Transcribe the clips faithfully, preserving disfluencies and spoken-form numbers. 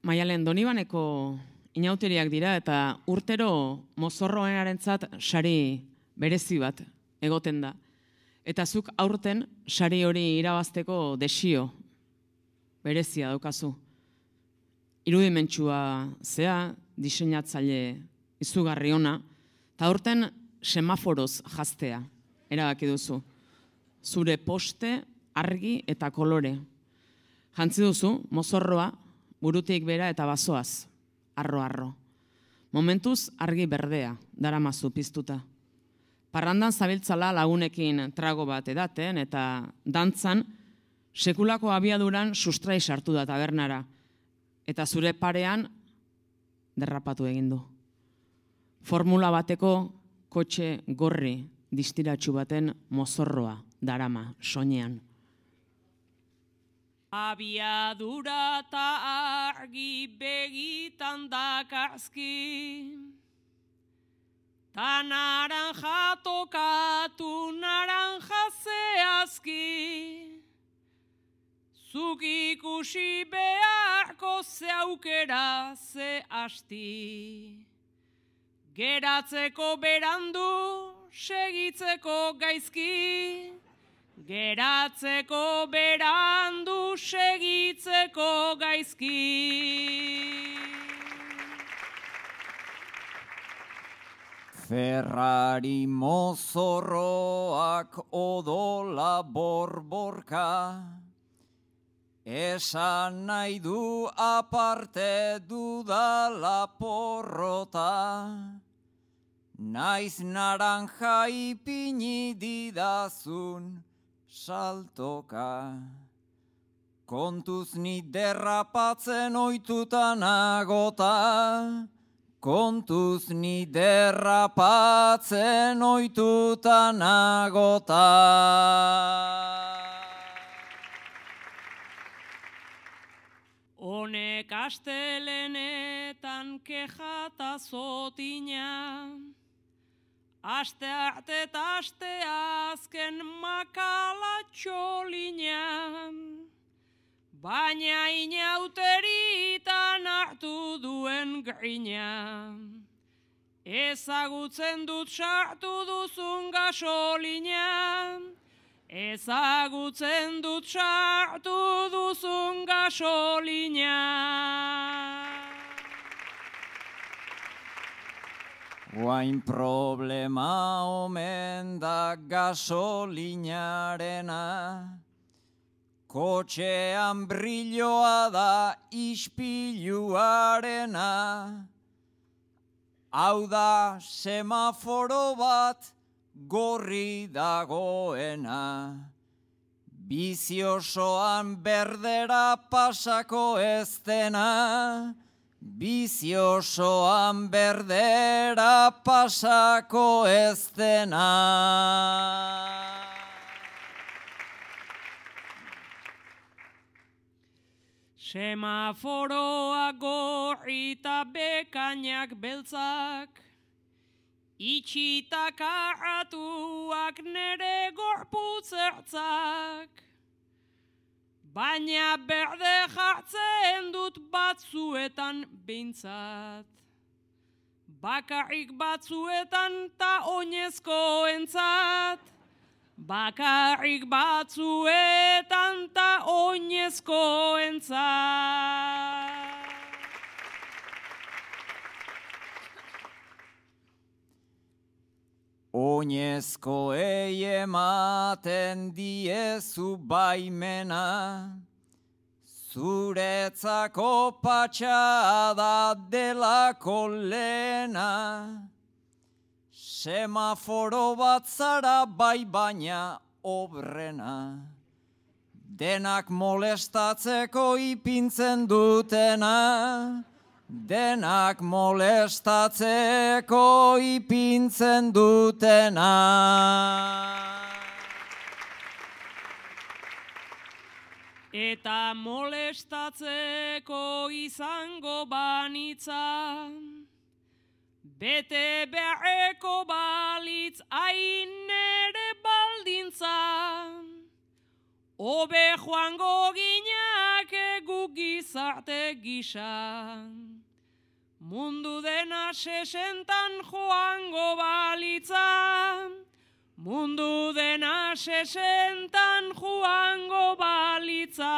Maialen Donibaneko inauteriak dira eta urtero mozorroenarentzat sari berezi bat egoten da. Eta zuk aurten sari hori irabazteko desio berezia daukazu. Irudimentsua zea, diseinatzaile izugarri ona, eta aurten semaforoz jaztea erabaki duzu. Zure poste, argi eta kolore. Jantzi duzu, mozorroa, burutik bera eta bazoaz, arro-arro. Momentuz argi berdea, daramazu piztuta. Parrandan zabiltzala lagunekin trago bat edaten eta dantzan sekulako abiaduran sustrai sartu da tabernara. Eta zure parean derrapatu egin du. Formula bateko kotxe gorri distiratsu baten mozorroa darama soinean. Abiadura eta argi begitan dakarzki, ta naranja tokatu naranja zehazki, zuk ikusi beharko ze aukera ze asti, geratzeko berandu segitzeko gaizki, geratzeko berandu segitzeko gaizki. Ferrari mozorroak odola borborka, esan nahi du aparte dudala porrota, naiz naranja ipini didazun saltoka. Kontuz ni derrapatzen oituta nagota, kontuz ni derrapatzen oituta nagota. Honek astelenetan kejata zotina, aste arte eta aste azken makala txolina, baina inauteritan hartu duen grina, ezagutzen dut sartu duzun gasolina, ezagutzen dut sartu duzun gasolina. Guain problema omen da gasolinarena, kotxean brilloa da ispiluarena, hau da semaforo bat gorri dagoena, bizi osoan berdera pasako ez dena, bizi osoan berdera pasako ez dena. Semaforoa gorri eta bekainak beltzak, itxitak arratuak nere gorputzertzak, baina berde jartzen dut batzuetan behintzat. Bakarrik batzuetan ta oinezkoentzat, bakarrik batzuetan ta oinezkoentzat. Oinezkoei ematen diezu baimena, zuretzako patxada delako lehena, semaforo bat zara bai baina obrena, denak molestatzeko ipintzen dutena, denak molestatzeko ipintzen dutena. Eta molestatzeko izango banitza, bete beharreko balitz hain ere baldintza, hobe joango ginak guk gizarte gisa. Mundu dena sesentan joango balitza, mundu dena sesentan joango balitza.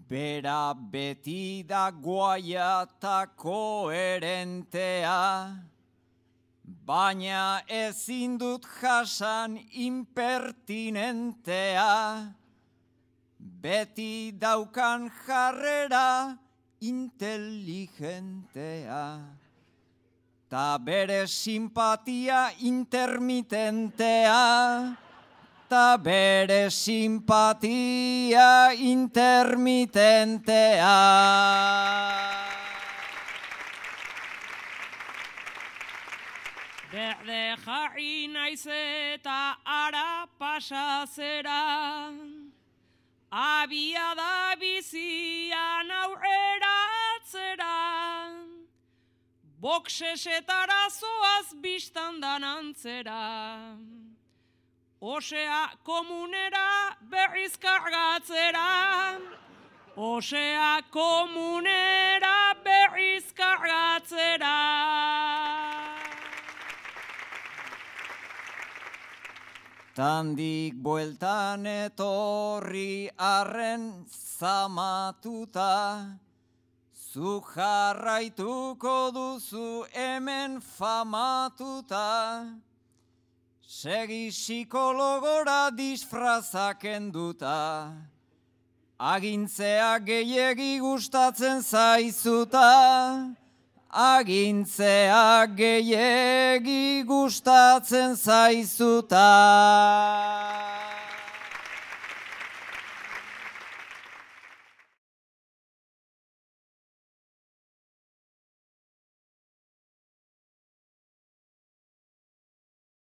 Bera beti da guaia eta koherentea, baina ezin dut jasan impertinentea. Beti daukan jarrera inteligentea, ta bere simpatia intermitentea, ta bere simpatia intermitentea. Berde jarri naiz eta ara pasa zera, abia da bizian aurrera atzera, boksesetara zoaz biztandan antzera, osea komunera berriz kargatzera, osea komunera berriz kargatzera. Tandik bueltan etorri arren zamatuta, zu jarraituko duzu hemen famatuta, segi psikologora disfrazak enduta, agintzea gehiegi gustatzen zaizuta, agintzea gehiegi gustatzen zaizuta.